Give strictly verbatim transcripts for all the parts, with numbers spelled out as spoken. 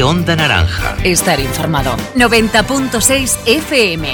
Onda Naranja. Estar informado. noventa punto seis F M.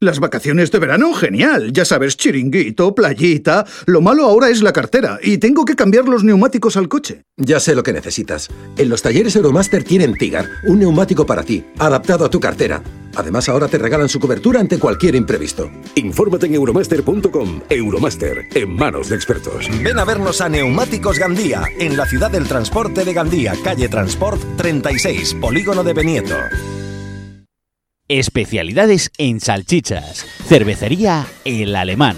Las vacaciones de verano, genial. Ya sabes, chiringuito, playita. Lo malo ahora es la cartera y tengo que cambiar los neumáticos al coche. Ya sé lo que necesitas. En los talleres Euromaster tienen Tigar, un neumático para ti, adaptado a tu cartera. Además, ahora te regalan su cobertura ante cualquier imprevisto. Infórmate en euromaster punto com. Euromaster, en manos de expertos. Ven a vernos a Neumáticos Gandía, en la ciudad del transporte de Gandía, calle Transport treinta y seis, Polígono de Benieto. Especialidades en salchichas. Cervecería El Alemán.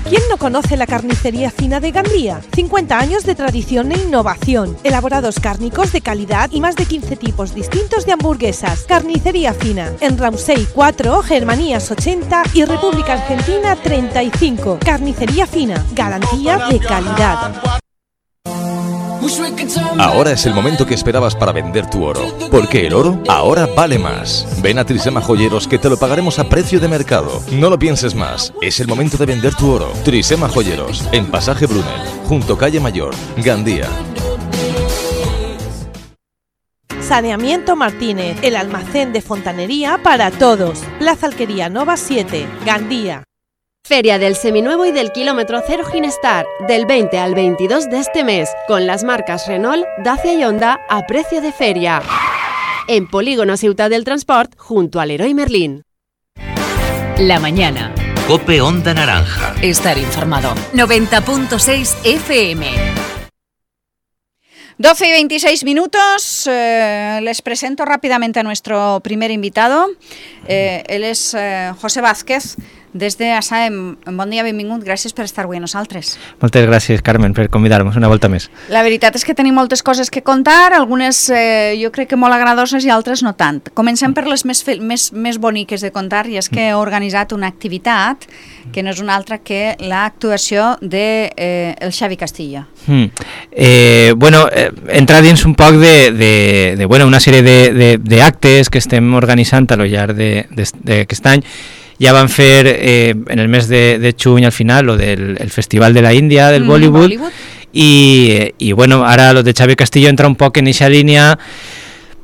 ¿Quién no conoce la carnicería fina de Gandía? cincuenta años de tradición e innovación, elaborados cárnicos de calidad y más de quince tipos distintos de hamburguesas. Carnicería fina, en Ramsey cuatro, Germanías ochenta y República Argentina treinta y cinco. Carnicería fina, garantía de calidad. Ahora es el momento que esperabas para vender tu oro, porque el oro ahora vale más. Ven a Trisema Joyeros que te lo pagaremos a precio de mercado. No lo pienses más, es el momento de vender tu oro. Trisema Joyeros, en Pasaje Brunel, junto Calle Mayor, Gandía. Saneamiento Martínez, el almacén de fontanería para todos. Plaza Alquería Nova siete, Gandía. Feria del Seminuevo y del Kilómetro Cero Ginestar, del veinte al veintidós de este mes, con las marcas Renault, Dacia y Honda a precio de feria. En Polígono Ciutat del Transport, junto al Leroy Merlin. La mañana. Cope Onda Naranja. Estar informado. noventa punto seis F M. doce y veintiséis minutos. Eh, les presento rápidamente a nuestro primer invitado. Eh, él es eh, José Vázquez, des de Asaem. Bon dia, benvingut, gràcies per estar avui a nosaltres. Moltes gràcies, Carmen, per convidar-nos una volta més. La veritat és que tenim moltes coses que contar, algunes eh, jo crec que molt agradoses i altres no tant. Comencem per les més, més, més boniques de contar, i és que he organitzat una activitat que no és una altra que l'actuació de eh, el Xavi Castillo. Mm. Eh, bueno, eh, entrar dins un poc de, de, de bueno, una sèrie d'actes que estem organitzant a lo llarg d'aquest any. Ja van fer eh, en el mes de, de juny al final lo del el Festival de la Índia del mm, Bollywood, Bollywood. I, i bueno, ara lo de Xavi Castillo entra un poc en eixa línia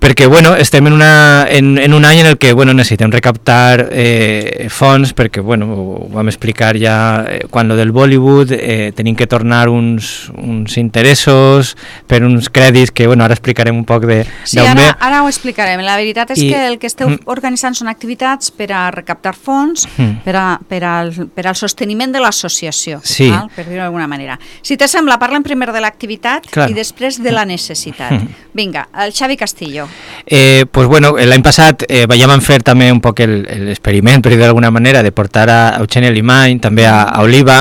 perquè bueno, estem en, una, en, en un any en el que bueno, necessitem recaptar eh, fons perquè bueno, ho vam explicar ja eh, quan lo del Bollywood eh, tenim que tornar uns, uns interessos per uns crèdits que bueno, ara explicarem un poc de sí, ara, ara ho explicarem. La veritat és I, que el que esteu mm, organitzant són activitats per a recaptar fons mm, per, a, per, al, per al sosteniment de l'associació, sí. val? Per dir-ho d'alguna manera. Si te sembla, parlem primer de l'activitat i després de la necessitat. Mm. Vinga, el Xavi Castillo. Eh, pues bueno, l'any passat eh, ja vam fer també un poc l'experiment, per dir d'alguna manera, de portar a Eugeni Alimany, també a, a Oliva,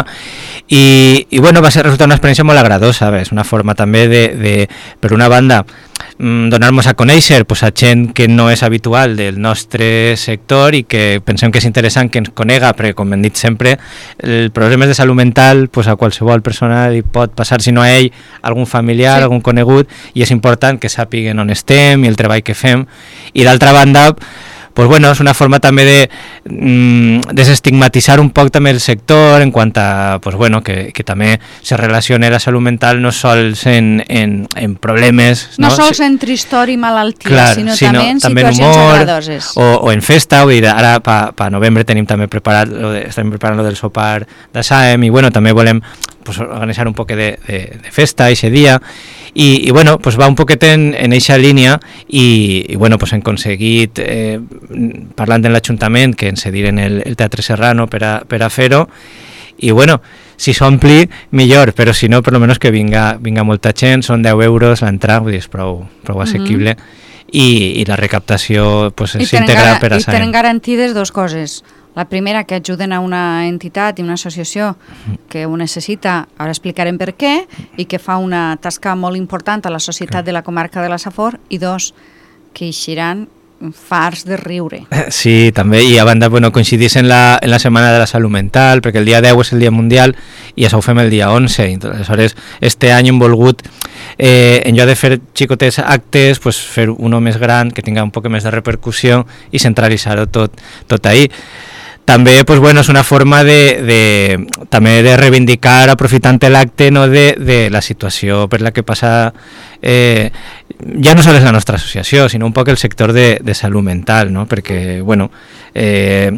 i, i bueno, va ser resultar una experiència molt agradosa, és una forma també de, de per una banda, donar-nos a conèixer pues, a gent que no és habitual del nostre sector i que pensem que és interessant que ens conega, perquè com hem dit sempre, els problemes de salut mental pues, a qualsevol persona li pot passar, si no a ell, algun familiar, sí. algun conegut, i és important que sàpiguen on estem i el treball que fem. I d'altra banda, pues bueno, és una forma també de mm, desestigmatitzar un poc també el sector en quant a, pues bueno, que, que també se relaciona la salut mental no sols en, en, en problemes, no, no sols en tristor i malaltia, clar, sinó, sinó també en també situacions humor, agradoses. O, o en festa, vull dir, ara pa, pa novembre tenim també preparat, lo de, estem preparant lo del sopar d'Asaem i bueno, també volem pues, organitzar un poc de, de, de festa ese dia i, i bueno, pues va un poquet en, en eixa línia i, i bueno, pues hem aconseguit eh, parlant en l'Ajuntament que ens cediren el, el Teatre Serrano per a, per a fer-ho i bueno, si s'ompli millor, però si no, per lo menos que vinga, vinga molta gent, són deu euros l'entrada, vull dir, és prou, prou assequible mm-hmm. i, i la recaptació pues, s'integra per a Asaem. I tenen garantides dues coses. La primera, que ajuden a una entitat i una associació que ho necessita, ara explicarem per què, i que fa una tasca molt important a la societat de la comarca de la Safor, i dos, que eixiran farts de riure. Sí, també, i a banda bueno, coincidís en la, en la Setmana de la Salut Mental, perquè el dia deu és el dia mundial i això ho fem el dia onze, i aleshores este any hem volgut eh, en lloc de fer xicotes actes, pues, fer uno més gran, que tinga un poc més de repercussió i centralitzar-ho tot, tot ahí. També pues, bueno, és una forma de, de, també de reivindicar, aprofitant l'acte, no, de, de la situació per la que passa eh, ja no sols la nostra associació, sinó un poc el sector de, de salut mental, no? Perquè, bueno, eh,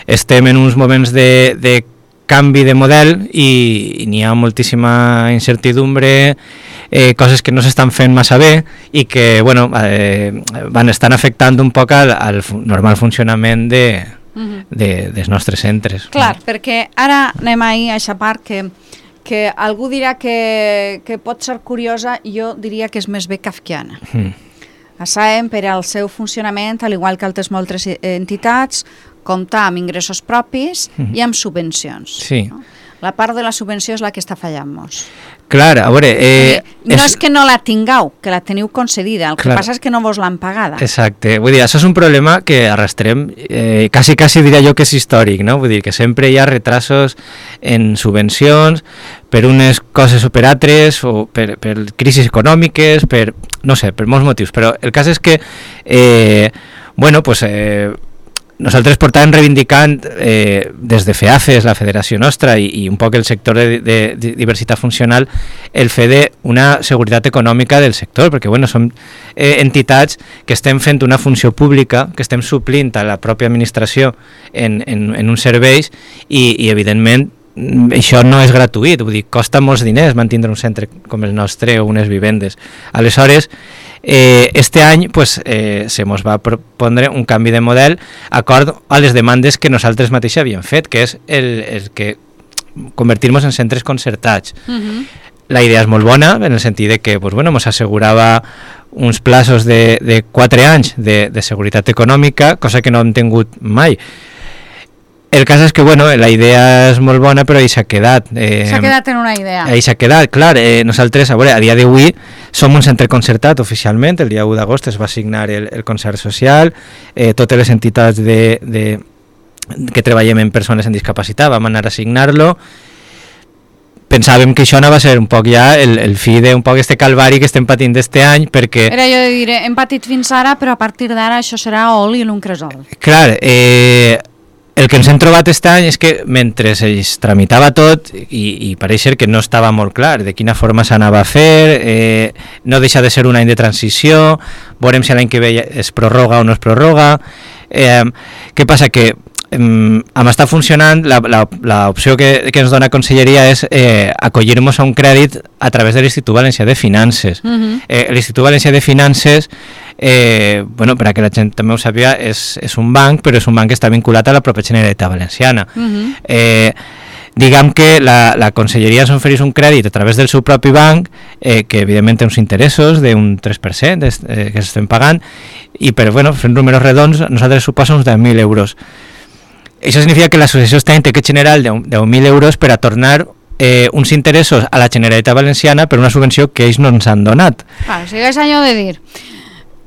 estem en uns moments de, de canvi de model i, i n'hi ha moltíssima incertidumbre, eh, coses que no s'estan fent massa bé i que, bueno, eh, van estan afectant un poc al, al normal funcionament de, uh-huh. de, dels nostres centres. Clar, no? Perquè ara anem ahir a aquesta part que que algú dirà que, que pot ser curiosa, jo diria que és més bé kafkiana. Mm. Sabem, per al seu funcionament, al igual que altres moltes entitats, comptar amb ingressos propis mm. i amb subvencions. Sí. No? La part de la subvenció és la que està fallant-nos. Clar, a veure... Eh, no és... és que no la tingueu, que la teniu concedida, el que clar. Passa és que no vos l'han pagada. Exacte, vull dir, això és un problema que arrastrem, eh, quasi, quasi diria jo que és històric, no? Vull dir que sempre hi ha retrasos en subvencions per unes coses o per altres, o per, per crisis econòmiques, per, no sé, per molts motius, però el cas és que, eh, bueno, pues... Eh, nosaltres portàvem reivindicant eh, des de FEAFES, la federació nostra, i, i un poc el sector de, de, de diversitat funcional, el fer d'una seguretat econòmica del sector, perquè bueno, som eh, entitats que estem fent una funció pública, que estem suplint a la pròpia administració en, en, en uns serveis i, i evidentment això no és gratuït, vull dir, costa molts diners mantindre un centre com el nostre o unes vivendes. Aleshores, Eh, este any pues, eh, se mos va propondre un canvi de model acord a les demandes que nosaltres mateixos havíem fet, que és el, el que convertir-nos en centres concertats. Uh-huh. La idea és molt bona, en el sentit de que pues, bueno, mos assegurava uns plaços de, de quatre anys de, de seguretat econòmica, cosa que no hem tingut mai. El cas és que, bueno, la idea és molt bona, però ahí s'ha quedat. Eh, s'ha quedat en una idea. Ahí s'ha quedat, clar. Eh, nosaltres, a veure, a dia d'avui som un centre concertat oficialment, el dia u d'agost es va signar el, el concert social, eh, totes les entitats de, de, que treballem en persones amb discapacitat vam anar a signar-lo. Pensàvem que això anava a ser un poc ja el, el fi d'un poc este calvari que estem patint d'este any, perquè... Era jo de dir, hem patit fins ara, però a partir d'ara això serà oli en un cresol. Clar, eh... el que ens hem trobat aquest any és que mentre es tramitava tot i, i pareix ser que no estava molt clar de quina forma s'anava a fer, eh, no deixa de ser un any de transició, veurem si l'any que ve es prorroga o no es prorroga. Eh, què passa? Que eh, amb estar funcionant, l'opció que, que ens dona Conselleria és eh, acollir-nos a un crèdit a través de l'Institut Valencià de Finances. Uh-huh. eh, L'Institut Valencià de Finances, Eh, bueno, per a que la gent també ho sàpiga, és, és un banc, però és un banc que està vinculat a la pròpia Generalitat Valenciana. Uh-huh. eh, diguem que la, la Conselleria ens ofereix un crèdit a través del seu propi banc, eh, que evidentment té uns interessos d'un tres per cent eh, que s'estem pagant, i per, bueno, fent números redons, nosaltres suposa uns deu mil euros. Això significa que l'associació està en té que generar deu mil euros per a tornar eh, uns interessos a la Generalitat Valenciana per una subvenció que ells no ens han donat. Ah, o sigui, és allò de dir...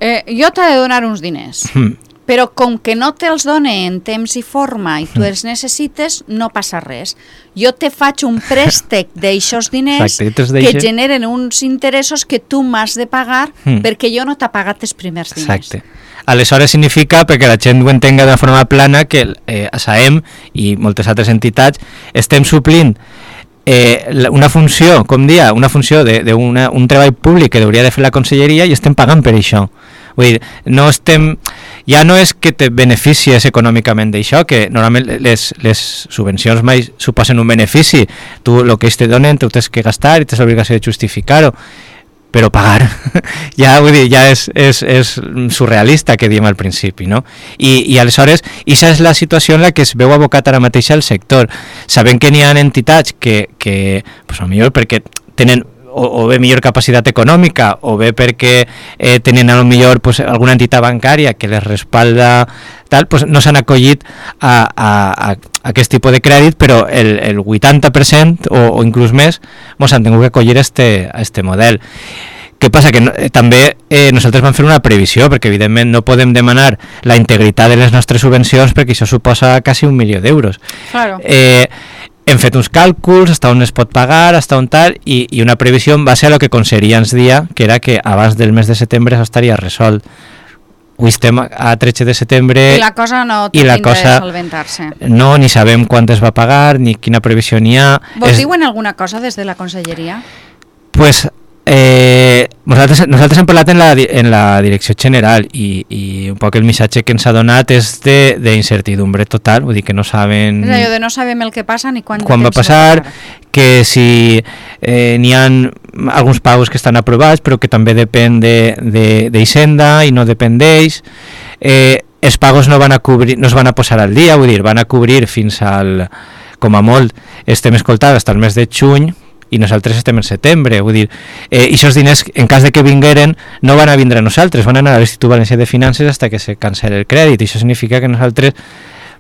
Eh, jo t'he de donar uns diners, mm. però com que no te'ls done en temps i forma i tu els necessites, no passa res. Jo te faig un préstec d'aixòs diners Exacte, que generen uns interessos que tu m'has de pagar mm. perquè jo no t'ha pagat els primers diners. Exacte. Aleshores significa, perquè la gent ho entenga de forma plana, que eh, a SAEM i moltes altres entitats estem suplint Eh, una funció, com dia, una funció d'un treball públic que hauria de fer la Conselleria i estem pagant per això. Vull dir, no estem, ja no és que te beneficies econòmicament d'això, que normalment les, les subvencions mai suposen un benefici. Tu el que ells te donen, tu tens que gastar i tens l'obligació de justificar-ho, però pagar ja, vull dir, ja és, és, és surrealista, que diem al principi, no? I, i aleshores, aquesta és la situació en la que es veu abocat ara mateix al sector, sabent que n'hi ha entitats que, que pues, potser perquè tenen o, o bé millor capacitat econòmica o bé perquè eh, tenen a lo millor pues, alguna entitat bancària que les respalda tal, pues, no s'han acollit a, a, a, a aquest tipus de crèdit, però el, el vuitanta per cent o, o inclús més mos han tingut que acollir a este, a este model. Què passa? Que no, eh, també eh, nosaltres vam fer una previsió, perquè evidentment no podem demanar la integritat de les nostres subvencions perquè això suposa quasi un milió d'euros. Claro. Eh, hem fet uns càlculs, hasta on es pot pagar, hasta on tal, i, i una previsió en base a lo que Conselleria ens dia, que era que abans del mes de setembre això estaria resolt. Avui estem a tretze de setembre... I la cosa no té pinta de solventar-se. No, ni sabem quant es va pagar, ni quina previsió n'hi ha. Vos es... diuen alguna cosa des de la Conselleria? Pues Eh, nosaltres, nosaltres hem parlat en la, en la direcció general i, i un poc el missatge que ens ha donat és d'incertidumbre total, vull dir que no saben... És allò de no sabem el que passa ni quan, quan va passar, que si eh, n'hi ha alguns pagos que estan aprovats però que també depèn d'Hisenda de, de, i no depèn d'ells. Eh, els pagos no van a cobrir, no es van a posar al dia, vull dir, van a cobrir fins al, com a molt, estem escoltant fins al mes de juny, i nosaltres estem en setembre, vull dir, eh, i aquests diners, en cas de que vingueren, no van a vindre a nosaltres, van a anar a l'Institut Valencià de Finances hasta que se cancel el crèdit, i això significa que nosaltres,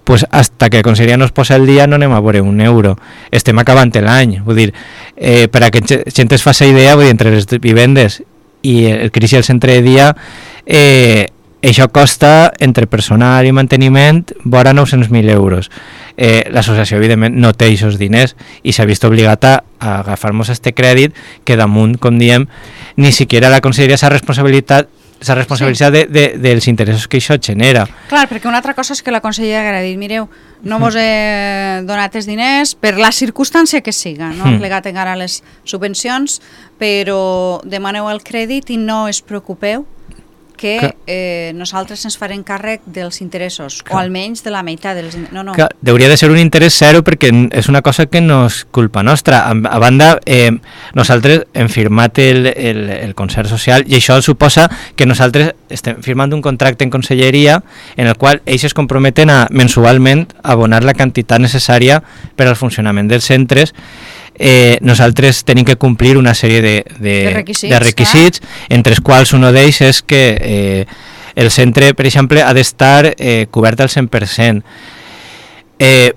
pues, hasta que la Conselleria no es posa el dia, no anem a veure un euro. Estem acabant l'any, vull dir, eh, per a que gent es faci idea, vull dir, entre les vivendes i el crisi del centre de dia, eh, això costa, entre personal i manteniment, vora nou-cents mil euros. Eh, l'associació, evidentment, no té aquests diners i s'ha vist obligat a, a agafar-nos este crèdit que damunt, com diem, ni siquiera la Conselleria s'ha responsabilitat s'ha responsabilitzat sí. de, de, dels interessos que això genera. Clar, perquè una altra cosa és que la Conselleria haguera dit, mireu, no vos he donat els diners per la circumstància que siga, no? Mm. Plegat encara les subvencions, però demaneu el crèdit i no es preocupeu que eh, nosaltres ens farem càrrec dels interessos, clar. O almenys de la meitat dels interessos. No, no. Clar, hauria de ser un interès zero perquè és una cosa que no és culpa nostra. A, a banda, eh, nosaltres hem firmat el, el, el concert social i això suposa que nosaltres estem firmant un contracte en conselleria en el qual ells es comprometen a mensualment abonar la quantitat necessària per al funcionament dels centres. Eh, nosaltres tenim que complir una sèrie de, de, de requisits, de requisits entre els quals un d'ells és que eh, el centre, per exemple, ha d'estar eh, cobert al cent per cent. Eh,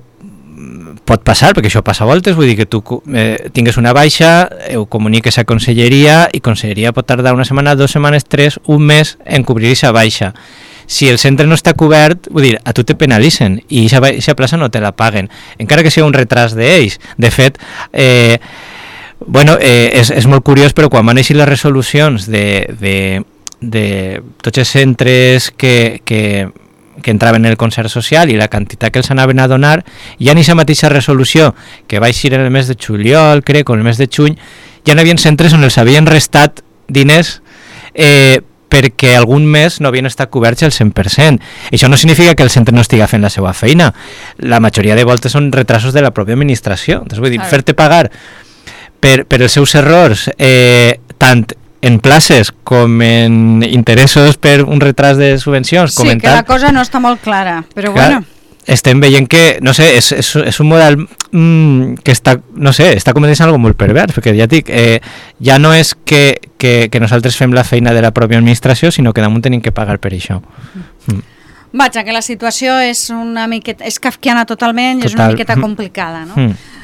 pot passar, perquè això passa a voltes, vull dir que tu eh, tingues una baixa, eh, ho comuniques a Conselleria i Conselleria pot tardar una setmana, dues setmanes, tres, un mes en cobrir aquesta baixa. Si el centre no està cobert, vull dir, a tu te penalitzen i aquesta plaça no te la paguen, encara que sigui un retras d'ells. De fet, eh, bueno, eh, és, és molt curiós, però quan van eixir les resolucions de, de, de tots els centres que, que, que entraven en el concert social i la quantitat que els anaven a donar, ja en aquesta mateixa resolució, que va eixir en el mes de juliol, crec, o en el mes de juny, ja n'hi havia centres on els havien restat diners eh, perquè algun mes no havien estat coberts al cent per cent. Això no significa que el centre no estigui fent la seva feina. La majoria de voltes són retrasos de la pròpia administració. Entonces, vull dir, fer-te pagar per, per els seus errors, eh, tant en places com en interessos per un retras de subvencions. Sí, comentar, que la cosa no està molt clara, però clar, bueno... Estem veient que, no sé, és, és, és un model mmm, que està, no sé, està començant algo molt pervers, perquè ja dic, eh, ja no és que, que, que nosaltres fem la feina de la pròpia administració, sinó que damunt tenim que pagar per això. Mm. Vaja, que la situació és una miqueta, és kafkiana totalment i Total. És una miqueta complicada, no? Mm.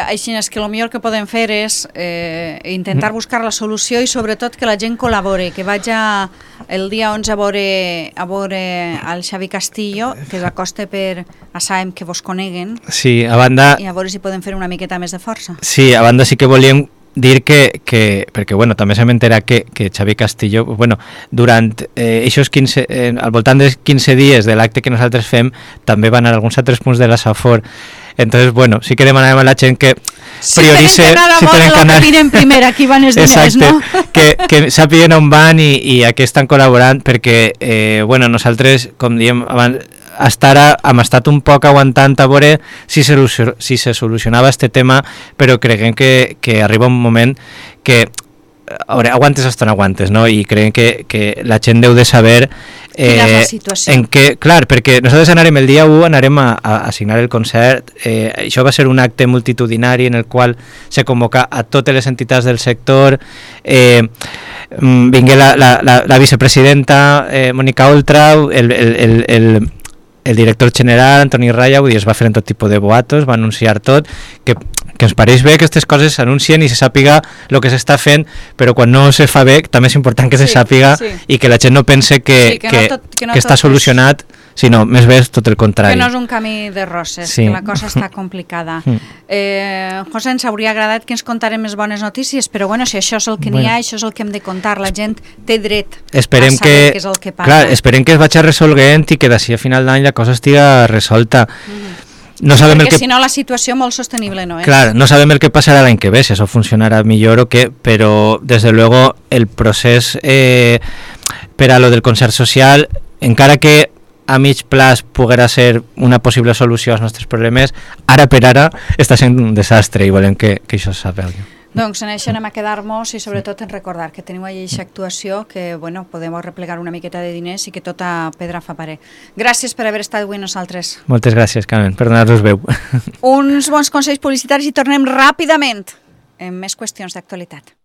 Així és que el millor que podem fer és eh, intentar buscar la solució i sobretot que la gent col·labore, que vaja el dia onze a veure, a veure el Xavi Castillo, que s'acosta per a Saem que vos coneguen, sí, a banda, i a veure si podem fer una miqueta més de força. Sí, a banda sí que volíem dir que, que perquè bueno, també s'hem enterat que, que Xavi Castillo, bueno, durant eh, aquests quinze, eh, al voltant dels quinze dies de l'acte que nosaltres fem, també van anar alguns altres punts de la Safor. Entonces, bueno, sí que demanàvem a la gent que priorice... Si tenen que anar, si tenen que primer, aquí van els diners, exacte, no? que, que sàpiguen on van i, i a què estan col·laborant, perquè, eh, bueno, nosaltres, com diem abans, hasta ara hem estat un poc aguantant a veure si se, si se solucionava este tema, però creguem que, que arriba un moment que a veure, aguantes hasta no aguantes, no? I creiem que, que la gent deu de saber eh, en què, clar, perquè nosaltres anarem el dia u, anarem a, a, a signar el concert, eh, això va ser un acte multitudinari en el qual se convoca a totes les entitats del sector, eh, vingué la, la, la, la vicepresidenta eh, Mònica Oltrau, el, el, el, el el director general, Antoni Raya, vull dir, es va fer en tot tipus de boatos, va anunciar tot, que, que ens pareix bé que aquestes coses s'anuncien i se sàpiga el que s'està fent, però quan no se fa bé també és important que sí, se sàpiga sí. I que la gent no pense que, sí, que, que, no tot, que, no que està solucionat, sinó més bé tot el contrari. Que no és un camí de roses, sí. Que la cosa està complicada. Mm. Eh, José, ens hauria agradat que ens contarem més bones notícies, però bueno, si això és el que bueno. N'hi ha, això és el que hem de contar, la gent té dret esperem a saber que, què és el que passa. Clar, esperem que es vagi resolguent i que d'ací a final d'any la cosa estiga resolta. Mm-hmm. no sabem Perquè el que... si no la situació molt sostenible no és. Clar, no sabem el que passarà l'any que ve, si això funcionarà millor o què, però des de luego el procés eh, per a lo del concert social, encara que a mig plaç poguera ser una possible solució als nostres problemes, ara per ara està sent un desastre i volem que, que això s'apelgui. Doncs en això anem a quedar-nos i sobretot en recordar que teniu allà aquesta actuació que, bueno, podem replegar una miqueta de diners i que tota pedra fa parer. Gràcies per haver estat avui amb nosaltres. Moltes gràcies, Carmen, per donar-nos veu. Uns bons consells publicitaris i tornem ràpidament en més qüestions d'actualitat.